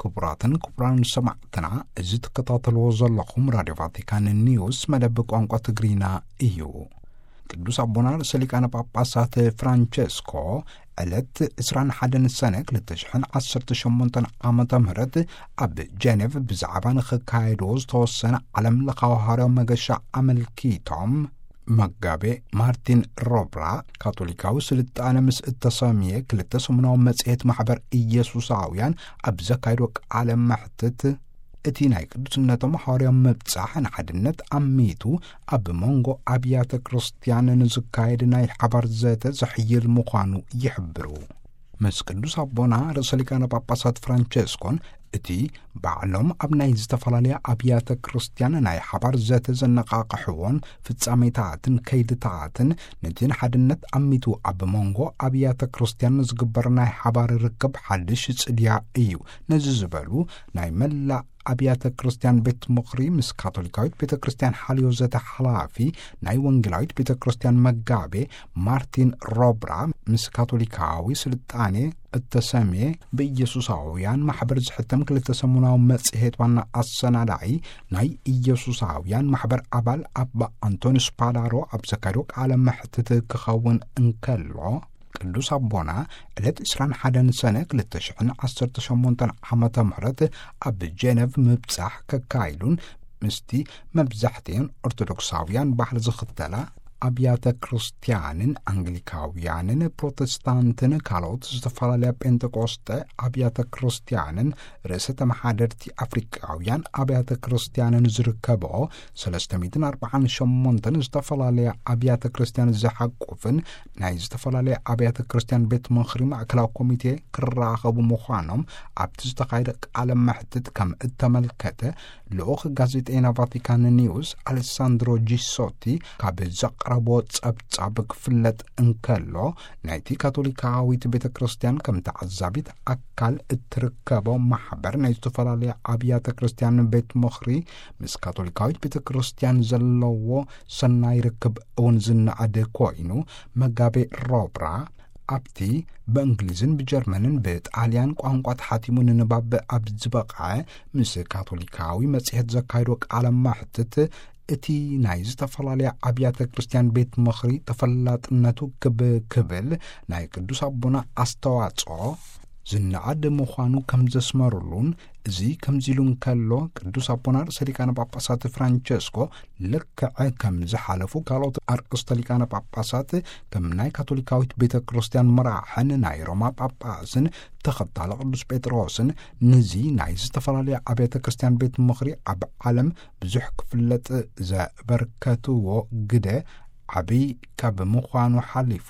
ክቡራትን ክቡራን ሰማዕትና፣ እዚ ትከታተልዎ ዘለኹም ራድዮ ቫቲካን ኒውስ መደብ ቋንቋ ትግርኛ እዩ። ቅዱስ ኣቦና ርእሰ ሊቃነ ጳጳሳት ፍራንቸስኮ ዕለት ዕስራን ሓደን ሰነ ክልተ ሽሕን ዓሰርተ ሸሞንተን ዓመተ ምህረት ኣብ ጀኔቭ ብዛዕባ ንኽካየድዎ ዝተወሰነ ዓለም ለኻዊ ሃዋርያዊ መገሻ ኣመልኪቶም፣ መጋቤ ማርቲን ሮብራ፣ ካቶሊካዊ ስልጣነ ምስ እተሰምየ ክልተ ሰሙናዊ መጽሔት ማሕበር ኢየሱሳውያን ኣብ ዘካይዶ ቃለ መሕትት፣ እቲ ናይ ቅዱስነቶም ሃዋርያዊ ምብጻሕ ንሓድነት ኣሚቱ ኣብ መንጎ ኣብያተ ክርስቲያን ንዝካየድ ናይ ሓባር ዘተ ዘሕይል ምዃኑ ይሕብሩ። ምስ ቅዱስ ኣቦና ርእሰ ሊቃነ ጳጳሳት ፍራንቸስኮን እቲ ባዕሎም ኣብ ናይ ዝተፈላለያ ኣብያተ ክርስቲያን ናይ ሓባር ዘተ ዘነቓቕሕዎን ፍጻሜታትን ከይድታትን፣ ነቲ ንሓድነት ኣሚቱ ኣብ መንጎ ኣብያተ ክርስቲያን ዝግበር ናይ ሓባር ርክብ ሓድሽ ጽድያ እዩ። ነዚ ዝበሉ፣ ናይ መላእ ኣብያተ ክርስቲያን ቤት ምኽሪ ምስ ካቶሊካዊት ቤተ ክርስቲያን ሓልዮ ዘተ ሓላፊ፣ ናይ ወንጌላዊት ቤተ ክርስቲያን መጋቤ ማርቲን ሮብራ፣ ምስ ካቶሊካዊ ስልጣኔ እተሰምየ ብኢየሱሳውያን ማሕበር ዝሕተም ክልተ ሰሙናዊ መጽሔት ዋና ኣሰናዳኢ፣ ናይ ኢየሱሳውያን ማሕበር ኣባል ኣባ ኣንቶኒስ ፓላሮ ኣብ ዘካየዶ ቃለ መሕትት ክኸውን እንከሎ፣ ቅዱስ ኣቦና ዕለት ዕስራን ሓደን ሰነ ክልተ ሽሕን ዓሰርተ ሸሞንተን ዓመተ ምህረት ኣብ ጀነቭ ምብጻሕ ከካይዱን፣ ምስቲ መብዛሕትኤን ኦርቶዶክሳውያን ባህሊ ዝኽተላ ኣብያተ ክርስቲያንን ኣንግሊካውያንን ፕሮቴስታንትን ካልኦት ዝተፈላለያ ጴንጠቆስጠ ኣብያተ ክርስቲያንን ርእሰ ተመሓደርቲ ኣፍሪቃውያን ኣብያተ ክርስቲያንን ዝርከብኦ ሰለስተ ሚእትን ኣርባዓን ሸሞንተን ዝተፈላለያ ኣብያተ ክርስቲያን ዝሓቁፍን ናይ ዝተፈላለያ ኣብያተ ክርስቲያን ቤት ምኽሪ ማእከላዊ ኮሚቴ ክራኸቡ ምዃኖም ኣብቲ ዝተኻየደ ቃለ መሕትት ከም እተመልከተ ልኡኽ ጋዜጠይና ቫቲካን ኒውስ ኣሌሳንድሮ ጂሶቲ ካብ ዘቕረቦ ጸብጻብ ክፍለጥ እንከሎ፣ ናይቲ ካቶሊካዊት ቤተ ክርስቲያን ከም ተዓዛቢት ኣካል እትርከቦ ማሕበር ናይ ዝተፈላለያ ኣብያተ ክርስቲያን ቤት ምኽሪ ምስ ካቶሊካዊት ቤተ ክርስቲያን ዘለዎ ሰናይ ርክብ እውን ዝነኣድ ኮይኑ፣ መጋቤ ሮብራ ኣብቲ ብእንግሊዝን ብጀርመንን ብጣልያን ቋንቋ ተሓቲሙ ንንባብ ኣብ ዝበቕዐ ምስ ካቶሊካዊ መጽሔት ዘካየዶ ቃለ መሕትት፣ እቲ ናይ ዝተፈላለያ ኣብያተ ክርስቲያን ቤት ምኽሪ ተፈላጥነቱ ክብ ክብል ናይ ቅዱስ ኣቦና ኣስተዋጽኦ ዝነኣድ ምዃኑ ከም ዘስመሩሉን፣ እዚ ከምዚ ኢሉ እንከሎ፣ ቅዱስ ኣቦና ርእሰ ሊቃነ ጳጳሳት ፍራንቸስኮ ልክዕ ከም ዝሓለፉ ካልኦት ኣርእስተ ሊቃነ ጳጳሳት፣ ከም ናይ ካቶሊካዊት ቤተ ክርስቲያን መራሕን ናይ ሮማ ጳጳስን ተኸታሊ ቅዱስ ጴጥሮስን፣ ነዚ ናይ ዝተፈላለያ ኣብያተ ክርስቲያን ቤት ምኽሪ ኣብ ዓለም ብዙሕ ክፍለጥ ዘበርከትዎ ግደ ዓብይ ካብ ምዃኑ ሓሊፉ፣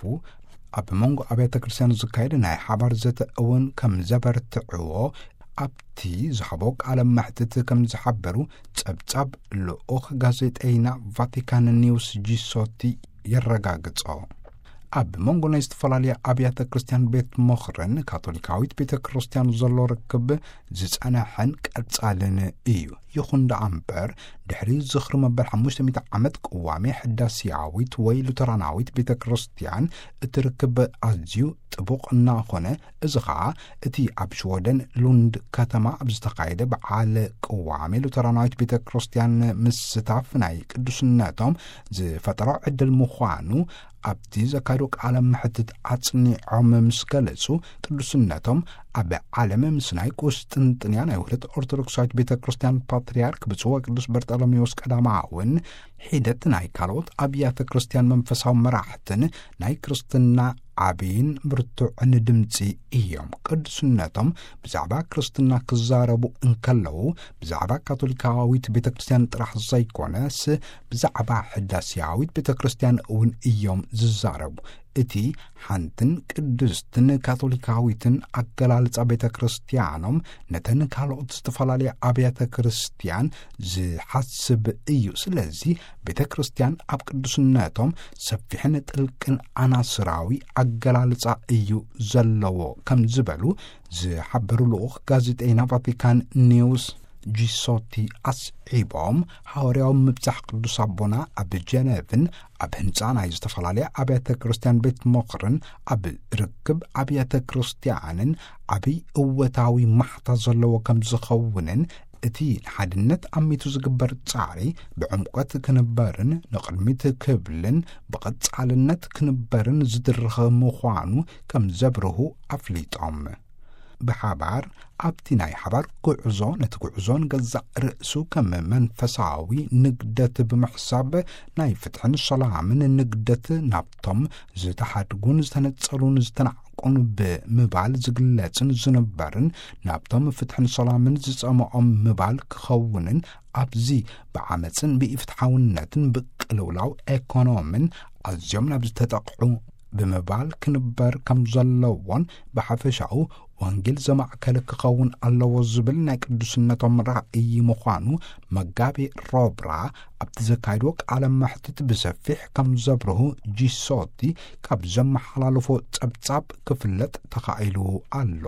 ኣብ መንጎ ኣብያተ ክርስቲያን ዝካየድ ናይ ሓባር ዘተ እውን ከም ዘበርትዕዎ ኣብቲ ዝሃቦ ቃለ መሕትት ከም ዝሓበሩ ጸብጻብ ልኡኽ ጋዜጠይና ቫቲካን ኒውስ ጂሶቲ የረጋግጾ። ኣብ መንጎ ናይ ዝተፈላለያ ኣብያተ ክርስቲያን ቤት ምኽርን ካቶሊካዊት ቤተ ክርስቲያን ዘሎ ርክብ ዝጸንሐን ቀጻልን እዩ። ይኹን ደኣ እምበር፣ ድሕሪ ዝኽሪ መበል ሓሙሽተ ሚእቲ ዓመት ቅዋሜ ሕዳስያዊት ወይ ሉተራናዊት ቤተ ክርስቲያን፣ እቲ ርክብ ኣዝዩ ጥቡቕ እናኾነ፣ እዚ ኸኣ እቲ ኣብ ሽወደን ሉንድ ከተማ ኣብ ዝተኻየደ በዓል ቅዋሜ ሉተራናዊት ቤተ ክርስቲያን ምስታፍ ናይ ቅዱስነቶም ዝፈጠሮ ዕድል ምዃኑ ኣብቲ ዘካየዶ ቃለ መሕትት ኣጽኒዖም ምስ ገለጹ፣ ቅዱስነቶም ኣብ ዓለም ምስ ናይ ቁስጥንጥንያ ናይ ውህደት ኦርቶዶክሳዊት ቤተ ክርስቲያን ፓትርያርክ ብፁዕ ወቅዱስ በርጠሎሜዎስ ቀዳማውን ሒደት ናይ ካልኦት ኣብያተ ክርስቲያን መንፈሳዊ መራሕትን ናይ ክርስትና ዓብይን ብርቱዕን ድምፂ እዮም። ቅዱስነቶም ብዛዕባ ክርስትና ክዛረቡ እንከለዉ፣ ብዛዕባ ካቶሊካዊት ቤተ ክርስቲያን ጥራሕ ዘይኮነስ፣ ብዛዕባ ሕዳስያዊት ቤተ ክርስቲያን እውን እዮም ዝዛረቡ። እቲ ሓንትን ቅድስትን ካቶሊካዊትን ኣገላልጻ ቤተ ክርስቲያኖም፣ ነተን ካልኦት ዝተፈላለያ ኣብያተ ክርስቲያን ዝሓስብ እዩ። ስለዚ፣ ቤተ ክርስቲያን ኣብ ቅዱስነቶም ሰፊሕን ጥልቅን ኣናስራዊ ኣገላልጻ እዩ ዘለዎ፣ ከም ዝበሉ ዝሓበሩ ልኡኽ ጋዜጠይና ቫቲካን ኒውስ ጂሶቲ ኣስዒቦም፣ ሃዋርያዊ ምብጻሕ ቅዱስ ኣቦና ኣብ ጀነቭን ኣብ ህንጻ ናይ ዝተፈላለያ ኣብያተ ክርስቲያን ቤት ምኽርን ኣብ ርክብ ኣብያተ ክርስቲያንን ዓብይ እወታዊ ማሕታ ዘለዎ ከም ዝኸውንን፣ እቲ ንሓድነት ኣሚቱ ዝግበር ጻዕሪ ብዕምቆት ክንበርን ንቕድሚት ክብልን ብቐጻልነት ክንበርን ዝድርኽ ምዃኑ ከም ዘብርሁ ኣፍሊጦም። ብሓባር ኣብቲ ናይ ሓባር ጉዕዞ፣ ነቲ ጉዕዞ ንገዛእ ርእሱ ከም መንፈሳዊ ንግደት ብምሕሳብ፣ ናይ ፍትሕን ሰላምን ንግደት ናብቶም ዝተሓድጉን ዝተነጸሉን ዝተናዕቁን ብምባል ዝግለጽን ዝንበርን፣ ናብቶም ፍትሕን ሰላምን ዝጸምኦም ምባል ክኸውንን፣ ኣብዚ ብዓመጽን ብኢፍትሓውነትን ብቅልውላው ኤኮኖምን ኣዝዮም ናብ ዝተጠቕዑ ብምባል ክንበር ከም ዘለዎን፣ ብሓፈሻኡ ወንጌል ዘማእከለ ክኸውን ኣለዎ ዝብል ናይ ቅዱስነቶም ራእይ ምዃኑ መጋቤ ሮብራ ኣብቲ ዘካየድዎ ቃለ መሕትት ብሰፊሕ ከም ዘብርሁ ጂሶቲ ካብ ዘመሓላለፎ ጸብጻብ ክፍለጥ ተኻኢሉ ኣሎ።